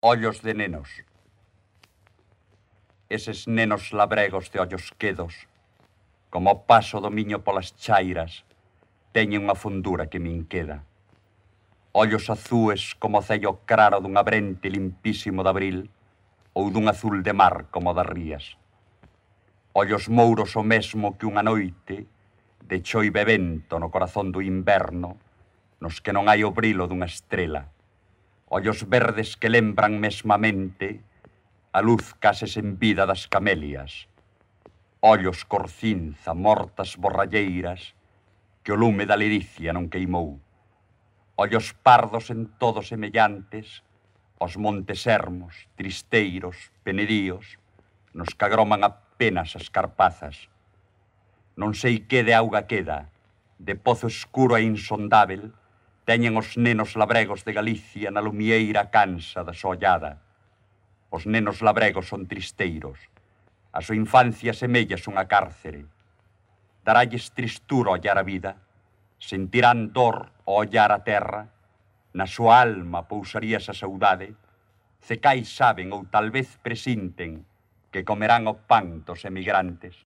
Ollos de nenos. Eses nenos labregos de ollos quedos, como o paso do miño polas chairas, teñen unha fundura que me inqueda. Ollos azúes como o cello claro dun abrente limpísimo de abril ou dun azul de mar como o das rías. Ollos mouros o mesmo que unha noite de choive vento no corazón do inverno, nos que non hai o brilo dunha estrela. Ollos verdes que lembran mesmamente a luz case sen vida das camelias. Ollos cor cinza, mortas borralleiras, que o lume da liricia non queimou. Ollos pardos en todo semellantes aos montes ermos, tristeiros, penedíos, nos que agroman apenas as carpazas. Non sei que de auga queda, de pozo escuro e insondável, teñen os nenos labregos de Galicia na lumieira cansa da sollada. Os nenos labregos son tristeiros. A súa infancia semella unha cárcere. Daralles tristura ollar a vida, sentirán dor ao ollar a terra, na súa alma pousaría esa saudade, cecais saben ou tal vez presinten que comerán o pan dos emigrantes.